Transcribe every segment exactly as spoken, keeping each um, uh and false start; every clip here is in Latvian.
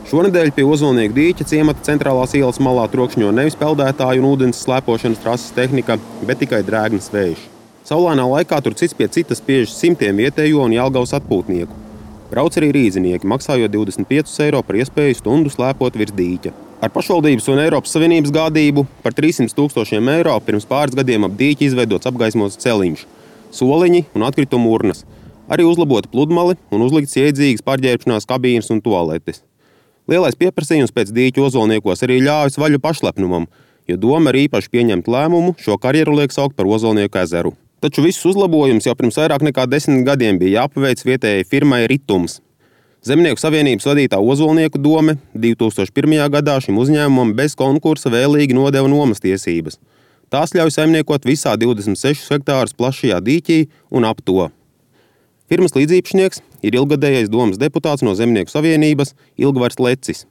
Šonedēļ pie Ozolnieku dīķa ciemata centrālās ielas malā trokšņo nevis peldētāju un ūdens slēpošanas trases tehnika, bet tikai drēgnas vējš. Saulainā laikā tur cits pie citas spiež simtiem vietējo un Jelgavas atpūtnieku. Brauc arī rīznieki, maksājot divdesmit piecus eiro par iespēju stundu slēpot virs dīķa. Ar pašvaldības un Eiropas Savienības gādību par trīssimt tūkstošiem eiro pirms pāris gadiem ap dīķi izveidots apgaismots celiņš, soliņi un atkritumu urnas. Arī uzlabota pludmali un uzlikts iedzīgas pārģērbšanās kabīnes un tualetes. Lielais pieprasījums pēc dīķa Ozolniekos arī ļāvis vaļu pašlepnumam, jo doma ir īpaši pieņemt lēmumu šo karjeru liek saukt par Ozolnieku ezeru. Taču visus uzlabojumus jau pirms vairāk nekā desmit gadiem bija jāpaveic vietējai firmai Ritums. Zemnieku savienības vadītā Ozolnieku dome divi tūkstoši pirmajā gadā šim uzņēmumam bez konkursa vēlīgi nodeva nomas tiesības. Tās ļauj saimniekot visā divdesmit sešus hektārus plašajā dīķī un ap to. Firmas līdzīpašnieks ir ilgadējais domas deputāts no Zemnieku savienības Ilgvars Lecis.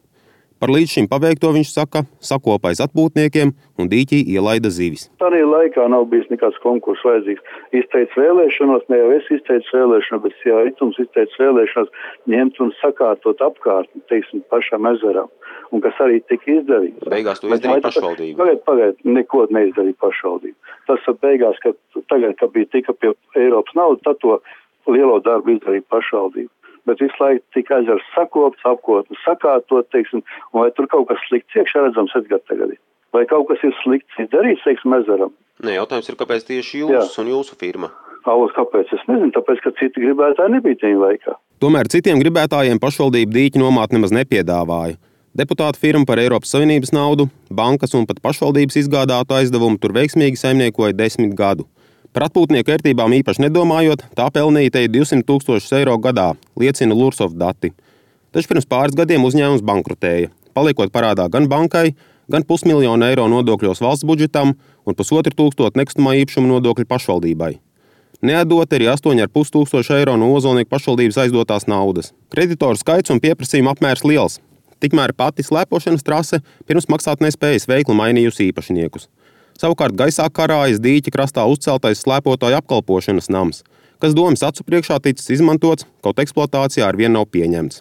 Par līdz šim paveikto viņš saka, sakopais atpūtniekiem un dīķī ielaida zivis. Tādā laikā nav bijis nekāds konkurss vajadzīgs. Izteicis vēlēšanos, ne jau es izteicu vēlēšanos, bet jā, Ritums izteicis vēlēšanos ņemt un sakārtot apkārt, teiksim, pašam ezeram. Un kas arī tika izdarīts. Beigās to izdarīja pašvaldība. Pagaid, pagaid, neko neizdarīja pašvaldība. Tas beigās, kad tagad, kad bija tika pie Eiropas naudas, tad to lielo darbu izdarīja pašvaldība. Bet visu laiku tika ezers sakopts, apkotni sakārtot, teiksim, un vai tur kaut kas slikts iekšā redzams Edgar tagad. Vai kaut kas ir slikts izdarīts, teiksim, ezeram? Nē, jautājums ir, kāpēc tieši jūs Jā. un jūsu firma? Alos, kāpēc? Es nezinu, tāpēc, ka citi gribētāji nebija tajā laikā. Tomēr citiem gribētājiem pašvaldība dīķi nomāt nemaz nepiedāvāja. Deputāta firma par Eiropas Savienības naudu, bankas un pat pašvaldības izgādātu aizdevumu tur veiksmīgi saimniekoja desmit gadu. Par atpūtnieku ērtībām īpaši nedomājot, tā pelnīja te divsimt tūkstošus eiro gadā, liecina Lursoft dati. Taču pirms pāris gadiem uzņēmums bankrotēja, paliekot parādā gan bankai, gan pusmiljonu eiro nodokļos valsts budžetam un pusotru tūkstotu nekustamā īpašuma nodokļu pašvaldībai. Neatdot arī astoņi ar pus tūkstoši eiro no Ozolnieku pašvaldības aizdotās naudas. Kreditoru skaits un pieprasījuma apmērs liels. Tikmēr pati slēpošanas trase pirms maksāt nespējas veikli mainījusi īpašniekus. Savukārt gaisā karājas dīķa krastā uzceltais slēpotāju apkalpošanas nams, kas domas acu priekšā ticis izmantots, kaut eksploatācijā arvien nav pieņemts.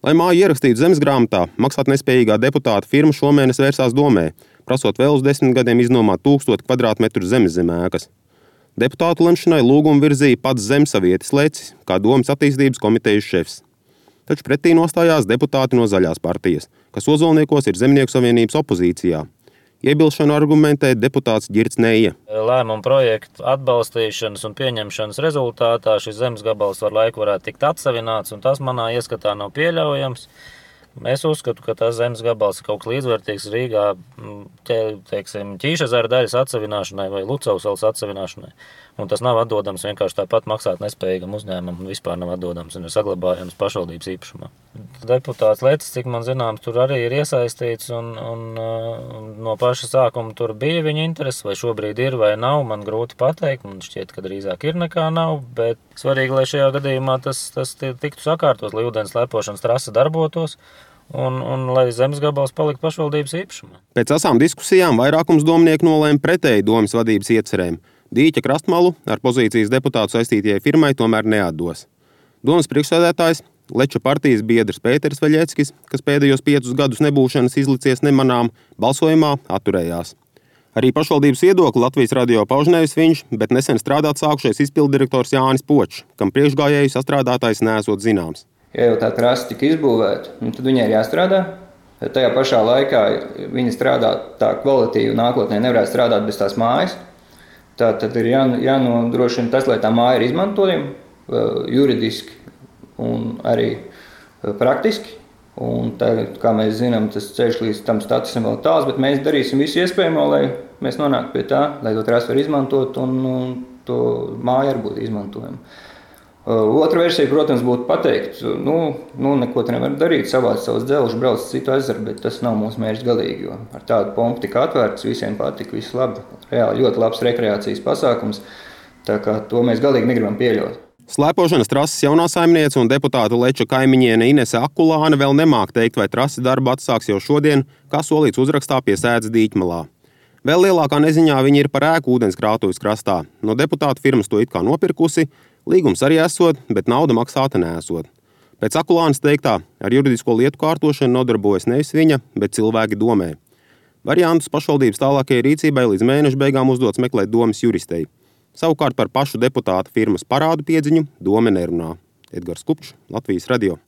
Lai māju ierakstītu zemesgrāmatā, maksāt nespējīgā deputāta firma šomēnes vērsās domē, prasot vēl uz desmit gadiem iznomāt tūkstotu kvadrātmetru zemes zem ēkas. Deputātu lemšanai lūgumu virzīja pats zemsavietis Lecis, kā domas attīstības komitejas šefs. Taču pretī nostājās deputāti no Zaļās partijas, kas Ozolniekos ir Zemnieku savienības opozīcijā. Iebilšanu argumentē deputāts Ģirts Neija. Lēmumu projektu atbalstīšanas un pieņemšanas rezultātā šis zemes gabals ar laiku varētu tikt atsavināts, un tas manā ieskatā nav pieļaujams. Es uzskatu, ka tas zemes gabals ir kaut kas līdzvērtīgs Rīgā te, teiksim, Ķīšezera daļas atsavināšanai vai Lucavsalas atsavināšanai. Un tas nav atdodams vienkārši tāpat maksāt nespējīgam uzņēmumam un vispār nav atdodams un ir saglabājams pašvaldības īpašumā. Deputāts Lecis, cik man zināms, tur arī ir iesaistīts un, un, un no paša sākuma tur bija viņa interese, vai šobrīd ir vai nav, man grūti pateikt, man šķiet, ka drīzāk ir nekā nav, bet svarīgi, lai šajā gadījumā tas, tas tiktu sakārtos, lai ūdens slēpošanas trase darbotos. Un, un lai zemes gabals paliktu pašvaldības īpašumā. Pēc asām diskusijām vairākums domnieku nolēma pretēji domas vadības iecerēm. Dīķa krastmalu ar pozīcijas deputātu saistītajai firmai tomēr neatdos. Domas priekšsēdētājs, Leča partijas biedrs Pēters Veļeckis, kas pēdējos piecus gadus nebūšanas izlicies nemanām, balsojumā atturējās. Arī pašvaldības viedokli Latvijas radio pauž nevis viņš, bet nesen strādāt sākušais izpilddirektors Jānis Počs, kam priekšgājēju sastrādātājs neesot zināms. Ja jau tā trasa tika izbūvēta, tad viņai ir jāstrādā. Tajā pašā laikā viņa strādā tā kvalitīvi nākotnē nevarētu strādāt bez tās mājas. Tā tad ir jā, jānodrošina tas, lai tā māja ir izmantojama juridiski un arī praktiski. Un tā, kā mēs zinām, tas ceļš līdz tam statusam vēl tāls, bet mēs darīsim visu iespējamo, lai mēs nonāktu pie tā, lai to trasu var izmantot un, un to māju arī būtu izmantojama. Otra versija, protams, būtu pateikt, nu, nu neko te nevar darīt, savāc savus dzelžus, brauc citu ezeru, bet tas nav mūsu mērķis galīgi, jo ar tādu pompu tika atvērts, visiem patika, viss labi, reāli ļoti labs rekreācijas pasākums, tā kā to mēs galīgi negribam pieļaut. Slēpošanas trases jaunā saimniece un deputāta Leča kaimiņiene Inese Akulāne vēl nemāk teikt, vai trasi darbu atsāks jau šodien, kā solīts uzrakstā pie sēdes dīķmalā. Vēl lielākā neziņā viņi ir par ēku ūdenskrātuves krastā. No deputāta firmas to it kā nopirkusi, līgums arī esot, bet nauda maksāta neesot. Pēc Akulānas teiktā, ar juridisko lietu kārtošanu nodarbojas nevis viņa, bet cilvēki domē. Variantus pašvaldības tālākajai rīcībai līdz mēneša beigām uzdots meklēt domas juristei. Savukārt par pašu deputāta firmas parādu piedziņu dome nerunā. Edgars Kupčs, Latvijas radio.